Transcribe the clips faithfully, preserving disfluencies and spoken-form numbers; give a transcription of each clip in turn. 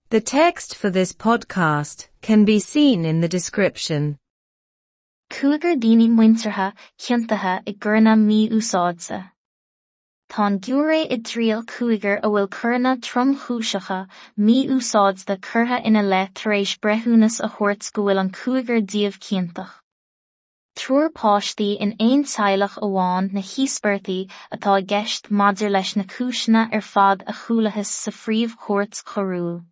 The text for this podcast can be seen in the description. Cúigear daoine muinteartha ciontaithe i gcoireanna mí-úsáide. Tá an giúiré i dtriail cúigear a bhfuil coireanna tromchúiseacha mí-úsáide curtha ina leith tar éis breithiúnas a thabhairt go bhfuil an cúigear díobh ciontach. Triúr páistí in aon teaghlach amháin na híospartaigh atá i gceist maidir leis na cúiseanna ar fad a chualathas sa phríomh-chúirt choiriúil.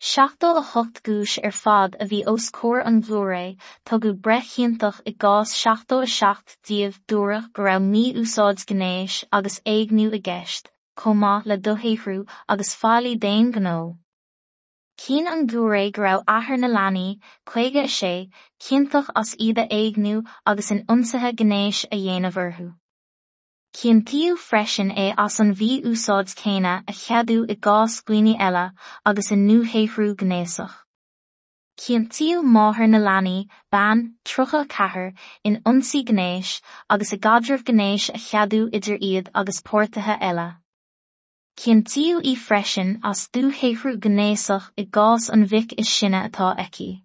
Seachtó a hocht gcúis ar fad a bhí os comhair an ghiúiré, tugadh breith chiontach i gcás seachtó a seacht díobh dúradh go raibh mí-úsáid gnéis agus éigniú i gceist, chomh maith le dúshaothrú agus faillí d'aon ghnó. Chinn an giúiré go raibh athair na leanaí, caoga a sé, ciontach as iad a éigniú agus in ionsaithe gnéis a dhéanamh orthu. Ciontaíodh freisin é as an mhí-úsáid chéanna a cheadú i gcás dhaoine eile agus i ndúshaothrú gnéasach. Ciontaíodh máthair na leanaí, bean, tríocha a ceathair, in ionsaí gnéis agus i gcaidreamh gnéis a cheadú idir iad agus páirtithe eile. Ciontaíodh í freisin as dúshaothrú gnéasach i gcás an mhic is sine atá aici.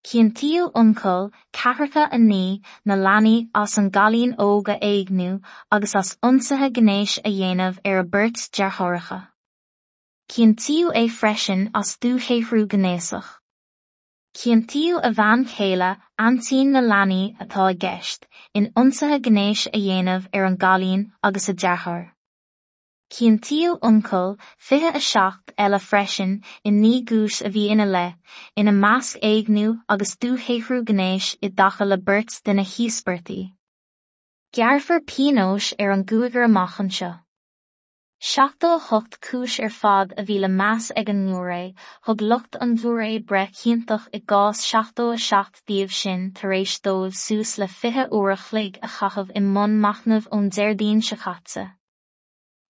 Ciontaíodh uncail, ceathracha a naoi, na leanaí as an gcailín óg a éigniú agus as ionsaithe gnéis a dhéanamh ar a beirt deartháireacha. Ciontaíodh é freisin as dúshaothrú gnéasach. Ciontaíodh a bhean chéile, aintín na leanaí atá i gceist, in ionsaithe gnéis a dhéanamh ar an gcailín agus a deartháir. Ciontaíodh uncail, fiche a seacht, eile freisin i naoi gcúis a bhí ina leith, ina measc éigniú agus dúshaothrú gnéis i dtaca le beirt de na híospartaigh. Gearrfar pionóis ar an gcúigear amach anseo. Seachtó a hocht cúis ar fad a bhí le meas ag an ngiúiré, thug lucht an ghiúiré breith chiontach i gcás seachtó a seacht díobh sin tar éis dóibh suas le fiche uair a chloig a chaitheamh i mbun machnaimh ón Déardaoin seo caite.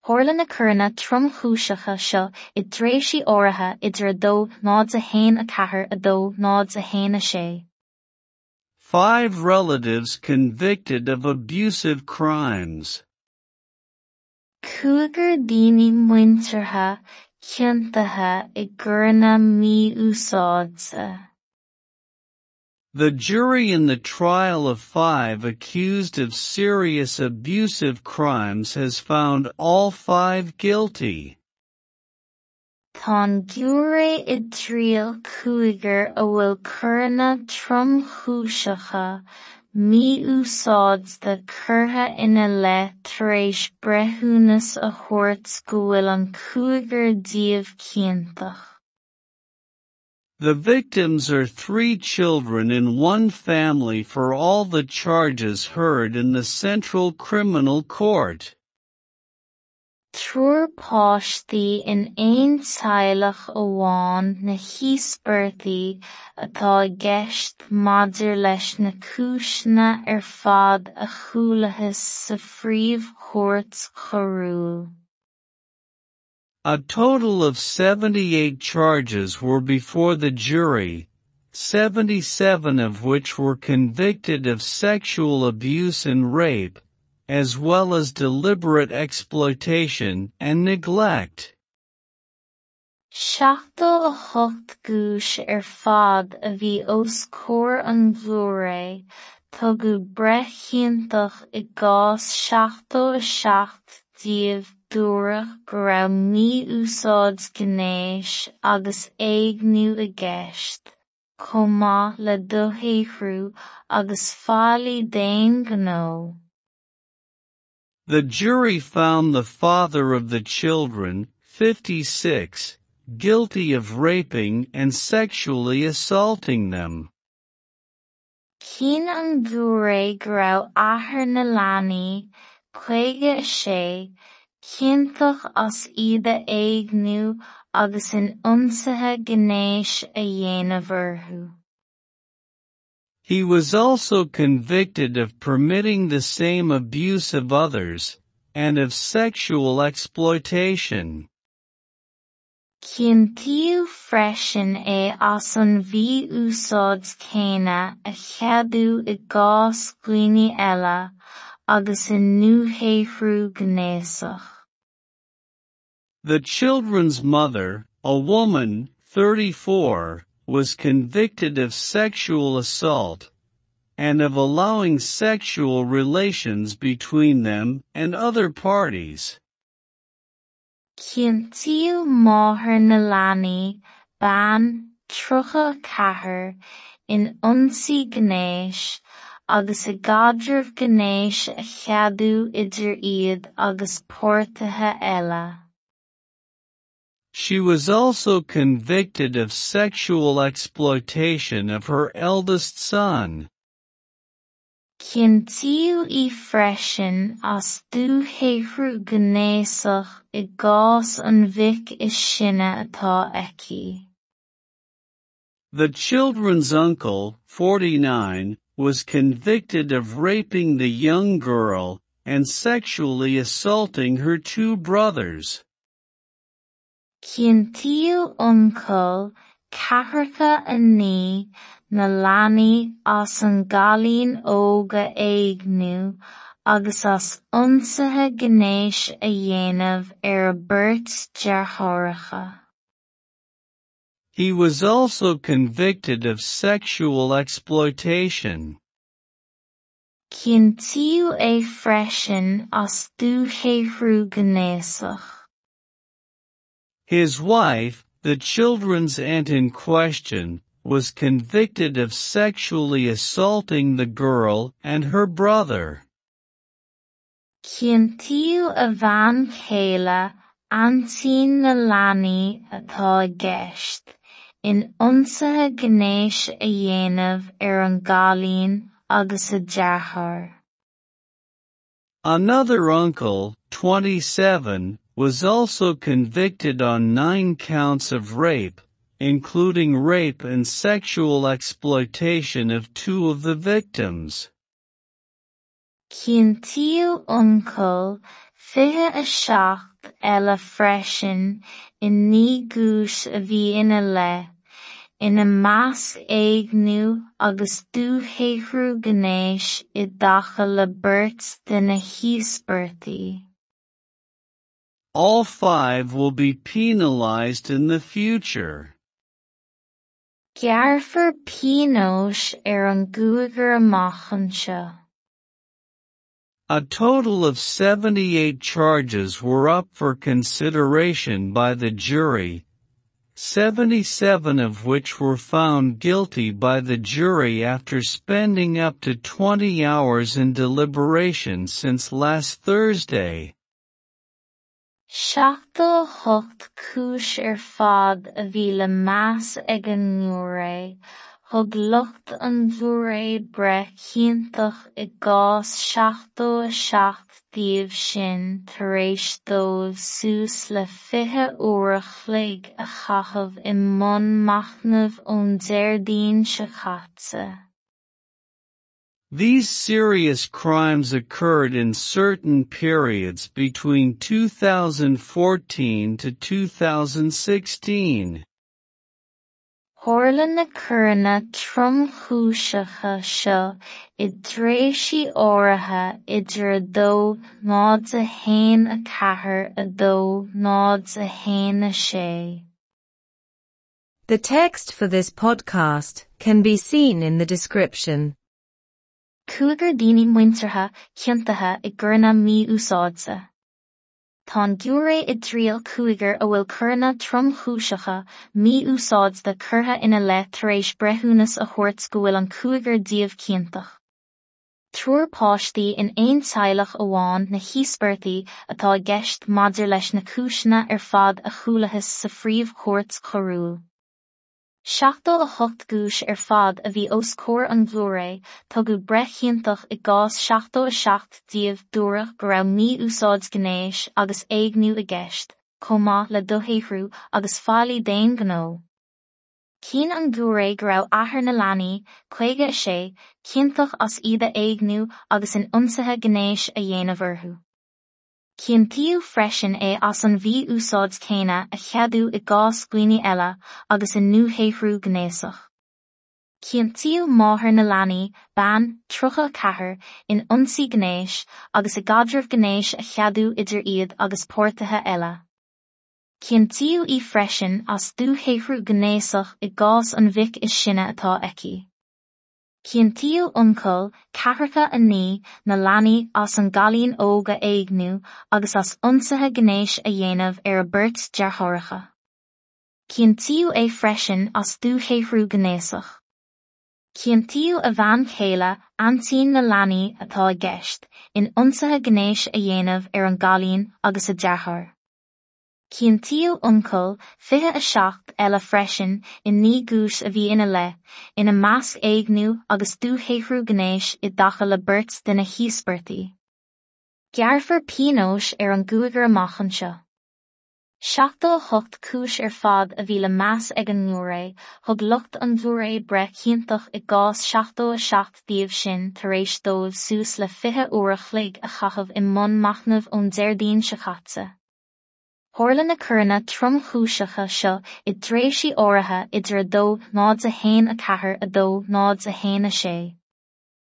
Tharla na coireanna tromchúiseacha seo i dtréimhsí áirithe idir a dó náid a haon a ceathair a dó náid a haon a sé. Five relatives convicted of abusive crimes. Cúigear daoine muinteartha ciontaithe i gcoireanna mí-úsáide. The jury in the trial of five accused of serious abusive crimes has found all five guilty. Tá an giúiré i dtriail cúigear a bhfuil coireanna tromchúiseacha mí-úsáide curtha ina leith tar éis breithiúnas a thabhairt go bhfuil an cúigear díobh ciontach. The victims are three children in one family for all the charges heard in the Central Criminal Court. Triúr páistí in aon teaghlach amháin na híospartaigh atá i gceist maidir leis na cúiseanna ar fad a chualathas sa phríomh-chúirt choiriúil. A total of seventy-eight charges were before the jury, seventy-seven of which were convicted of sexual abuse and rape, as well as deliberate exploitation and neglect. Seachtó a hocht gcúis ar fad a bhí os comhair an ghiúiré, tugadh breith chiontach i gcás seachtó a seacht díobh dúradh go raibh mí-úsáid gnéis agus éigniú i gceist, chomh maith le dúshaothrú agus faillí d'aon ghnó. The jury found the father of the children, fifty-six, guilty of raping and sexually assaulting them. Chinn an giúiré go raibh athair na leanaí, caoga a sé, ciontach as iad a éigniú agus in ionsaithe gnéis a dhéanamh orthu. He was also convicted of permitting the same abuse of others, and of sexual exploitation. Ciontaíodh freisin é as an mhí-úsáid chéanna a cheadú i gcás dhaoine eile agus i ndúshaothrú gnéasach. The children's mother, A woman, thirty-four, was convicted of sexual assault and of allowing sexual relations between them and other parties. Ciontaíodh máthair na leanaí, bean tríocha a ceathair, in ionsaí gnéis, agus i gcaidreamh gnéis a cheadú idir iad agus páirtithe eile. She was also convicted of sexual exploitation of her eldest son. Ciontaíodh í freisin as dúshaothrú gnéasach i gcás an mhic is sine atá aici. The children's uncle, forty-nine, was convicted of raping the young girl and sexually assaulting her two brothers. Ciontaíodh uncail ceathracha a naoi na leanaí as an gcailín óg a éigniú agus as ionsaithe gnéis a dhéanamh ar a beirt deartháireacha. He was also convicted of sexual exploitation. Ciontaíodh é freisin as dúshaothrú gnéasach. His wife, the children's aunt in question, was convicted of sexually assaulting the girl and her brother. Ciontaíodh a bhean chéile, aintín na leanaí atá i gceist, in ionsaithe gnéis a dhéanamh ar an gcailín agus a deartháir. Another uncle, twenty-seven, was also convicted on nine counts of rape, including rape and sexual exploitation of two of the victims. Ciontaíodh uncail fiche a seacht eile freisin i naoi gcúis a bhí ina leith, ina measc éigniú agus dúshaothrú gnéis i dtaca le beirt de na híospartaigh. All five will be penalized in the future. Gearrfar pionóis ar an gcúigear amach anseo. A total of seventy-eight charges were up for consideration by the jury, seventy-seven of which were found guilty by the jury after spending up to twenty hours in deliberation since last Thursday. Seachtó a hocht cúis ar fad a bhí le meas ag an ngiúiré, thug lucht an ghiúiré breith chiontach i gcás seachtó a seacht díobh sin tar éis dóibh suas le fiche uair a chloig a chaitheamh i mbun machnaimh ón Déardaoin seo caite. These serious crimes occurred in certain periods between two thousand fourteen to two thousand sixteen. Tharla na coireanna tromchúiseacha seo i dtréimhsí áirithe idir a dó náid a haon a ceathair a dó náid a haon a sé. The text for this podcast can be seen in the description. Cúigear daoine muinteartha ciontaithe i gcoireanna mí-úsáide. Tá an giúiré i dtriail cúigear a bhfuil coireanna tromchúiseacha mí-úsáide curtha ina leith tar éis breithiúnas a thabhairt go bhfuil an cúigear díobh ciontach. Triúr páistí in aon teaghlach amháin na híospartaigh atá i gceist maidir leis na cúiseanna ar fad a chualathas sa phríomhchúirt choiriúil. Seachtó a hocht gcúis ar fad a bhí os comhair an ghiúiré, tugadh breith chiontach i gcás seachtó a seacht díobh dúradh go raibh mí-úsáid gnéis agus éigniú i gceist, chomh maith le dúshaothrú agus faillí d'aon ghnó. Chinn an giúiré go raibh athair na leanaí, caoga a sé, ciontach as iad a éigniú agus in ionsaithe gnéis a dhéanamh orthu. Ciontaíodh freisin é as an mhí-úsáid céanna a cheadú i gcás dhaoine eile agus i ndúshaothrú gnéasach. Ciontaíodh máthair na leanaí, bean tríocha a ceathair, in ionsaí gnéis agus i gcaidreamh gnéis a cheadú idir iad agus páirtithe eile. Ciontaíodh í freisin as dúshaothrú gnéasach i gcás an mhic is sine atá aici. Ciontaíodh uncail, ceathracha a naoi, na leanaí as an gcailín óg a éigniú agus as ionsaithe gnéis a dhéanamh ar a beirt deartháireacha. Ciontaíodh é freisin as dúshaothrú gnéasach. Ciontaíodh a bhean chéile, aintín na leanaí atá i gceist, in ionsaithe gnéis a dhéanamh ar an gcailín agus a deartháir. Ciontaíodh uncail, fiche a seacht, eile freisin i naoi gcúis a bhí ina leith, ina measc éigniú agus dúshaothrú gnéis i dtaca le beirt de na híospartaigh. Gearrfar pionós ar an gcúigear amach anseo. Seachtó a hocht cúis ar fad a bhí le meas ag an ngiúiré, thug lucht an ghiúiré breith chiontach i gcás seachtó a seacht díobh sin tar éis dóibh suas le fiche uair a chloig a chaitheamh i mbun machnaimh ón Déardaoin seo caite. Tharla na coireanna tromchúiseacha seo i dtréimhsí áirithe idir a dó náid a haon a ceathair a dó náid a haon a sé.